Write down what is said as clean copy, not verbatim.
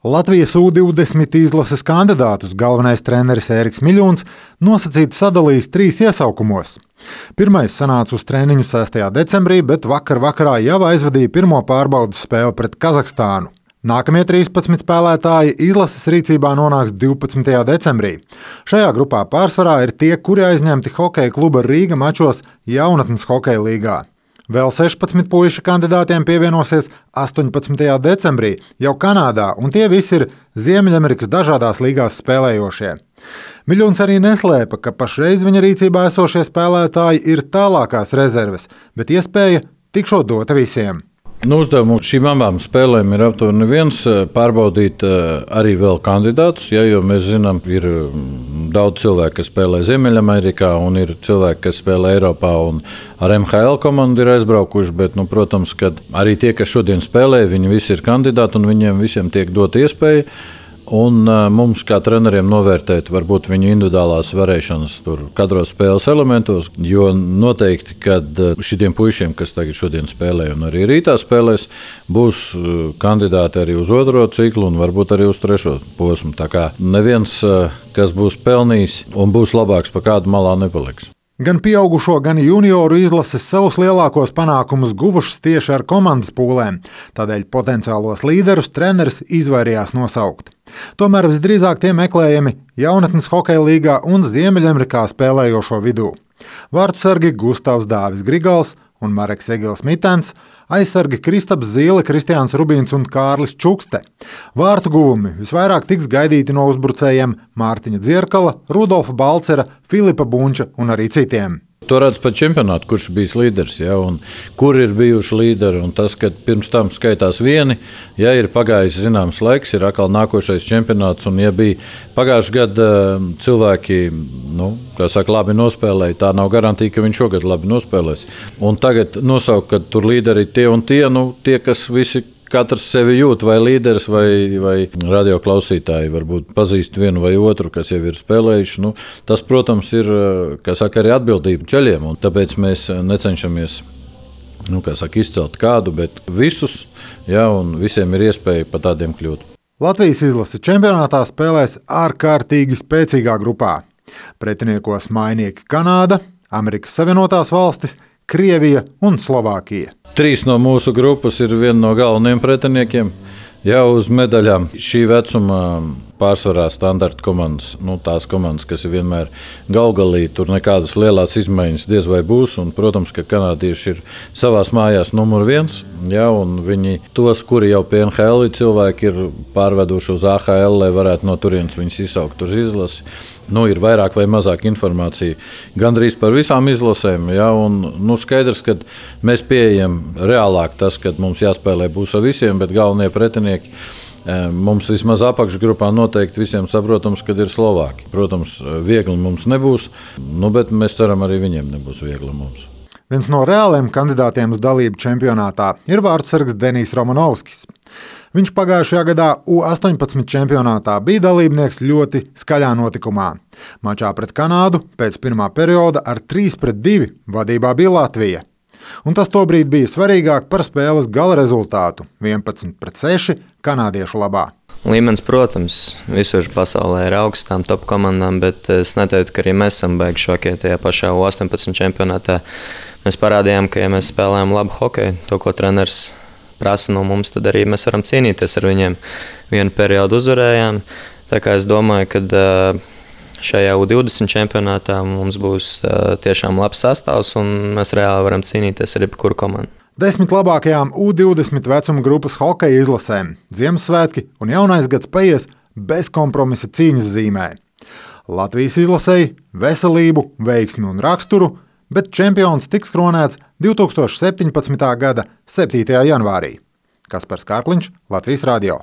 Latvijas U20 izlases kandidātus galvenais treneris Ēriks Miļuns nosacīti sadalījis 3 iesaukumos. Pirmais sanāca uz treniņu 6. decembrī, bet vakarā jau aizvadīja pirmo pārbaudes spēli pret Kazahstānu. Nākamie 13 spēlētāji izlases rīcībā nonāks 12. decembrī. Šajā grupā pārsvarā ir tie, kuri aizņemti hokeja kluba Rīga mačos jaunatnes hokeja līgā. Vēl 16 puiši kandidātiem pievienosies 18. decembrī jau Kanādā, un tie visi ir Ziemeļamerikas dažādās līgās spēlējošie. Miļuns arī neslēpa, ka pašreiz viņa rīcībā esošie spēlētāji ir tālākās rezerves, bet iespēja tikšot dota visiem. Uzdevums šīm abām spēlēm ir aptuveni viens - pārbaudīt arī vēl kandidātus, jo mēs zinām, ir daudz cilvēku, kas spēlē Ziemeļamerikā, un ir cilvēki, kas spēlē Eiropā un ar MHL komandu ir aizbraukuši. Bet, protams, ka arī tie, kas šodien spēlē, viņi visi ir kandidāti un viņiem visiem tiek dota iespēja. Un mums, kā treneriem, novērtēt varbūt viņu individuālās varēšanas katros spēles elementos, jo noteikti, kad šiem puišiem, kas tagad šodien spēlē un arī rītā spēlēs, būs kandidāti arī uz otro ciklu un varbūt arī uz trešo posmu. Tā kā neviens, kas būs pelnījis un būs labāks, pa kādu malā nepaliks. Gan pieaugušo, gan junioru izlases savus lielākos panākumus guvušas tieši ar komandas pūlēm, tādēļ potenciālos līderus treneris izvairījās nosaukt. Tomēr visdrīzāk tie meklējami jaunatnes hokeja līgā un Ziemeļamerikā spēlējošo vidū. Vārtsargi Gustavs Dāvis Grigals un Mareks Egils Mitens, aizsargi Kristaps Zīle, Kristiāns Rubīns un Kārlis Čukste. Vārtu guvumi visvairāk tiks gaidīti no uzbrucējiem Mārtiņa Dzierkala, Rudolfa Balcera, Filipa Bunča un arī citiem. To redz pat čempionātu, kurš bijis līderis, un kur ir bijuši līderi. Un tas, ka pirms tam skaitās vieni, ir pagājis zināms laiks, ir atkal nākošais čempionāts. Un, ja bija pagājušajā gadā cilvēki, labi nospēlēja, tā nav garantija, ka viņš šogad labi nospēlēs. Un tagad nosaukt, ka tur līderi ir tie un tie, kas visi. Katrs sevi jūt, vai līderis, vai radioklausītāji varbūt pazīst vienu vai otru, kas jau ir spēlējuši. Tas, protams, ir arī atbildība ceļiem, un tāpēc mēs necenšamies izcelt kādu, bet visus, un visiem ir iespēja pa tādiem kļūt. Latvijas izlase čempionātā spēlēs ārkārtīgi spēcīgā grupā. Pretiniekos mainieki Kanāda, Amerikas Savienotās valstis, Krievija un Slovākija. 3 no mūsu grupas ir viena no galvenajiem pretiniekiem. Jau uz medaļām šī vecuma pārsvarā standarta komandas, tās komandas, kas ir vienmēr galgalī, tur nekādas lielās izmaiņas diez vai būs. Un, protams, ka kanādieši ir savās mājās numur 1, un viņi tos, kuri jau pie NHL cilvēki ir pārveduši uz AHL, lai varētu no turienes viņus izsaukt uz izlasi. Ir vairāk vai mazāk informācija gandrīz par visām izlasēm, un skaidrs, ka mēs pieejam reālāk tas, kad mums jāspēlē būs ar visiem, bet galvenie pretinieki mums vismaz apakšgrupā noteikti visiem saprotams, kad ir Slovāki. Protams, viegli mums nebūs, bet mēs ceram, arī viņiem nebūs viegli mums. Viens no reāliem kandidātiem uz dalību čempionātā ir vārtsargs Denijs Romanovskis. Viņš pagājušajā gadā U18 čempionātā bija dalībnieks ļoti skaļā notikumā. Mačā pret Kanādu pēc pirmā perioda ar 3-2 vadībā bija Latvija. Un tas tobrīd bija svarīgāk par spēles gala rezultātu - 11-6 kanādiešu labā. Līmenis, protams, visur pasaulē ir augstām top komandām, bet es neteiktu, ka arī mēs esam beiguši šokie tajā pašā U18 čempionātā. Mēs parādījām, ka ja mēs spēlējam labu hokeju, to, ko treneris prasa no mums, tad arī mēs varam cīnīties ar viņiem. Vienu periodu uzvarējām, tā kā es domāju, ka šajā U20 čempionātā mums būs tiešām labs sastāvs un mēs reāli varam cīnīties ar jebkuru komandu. 10 labākajām U20 vecuma grupas hokeja izlasēm Ziemassvētki un Jaunais gads paies bez kompromisa cīņas zīmē. Latvijas izlasēji veselību, veiksmi un raksturu, bet čempions tiks kronēts 2017. gada 7. janvārī. Kaspars Kārkliņš, Latvijas radio.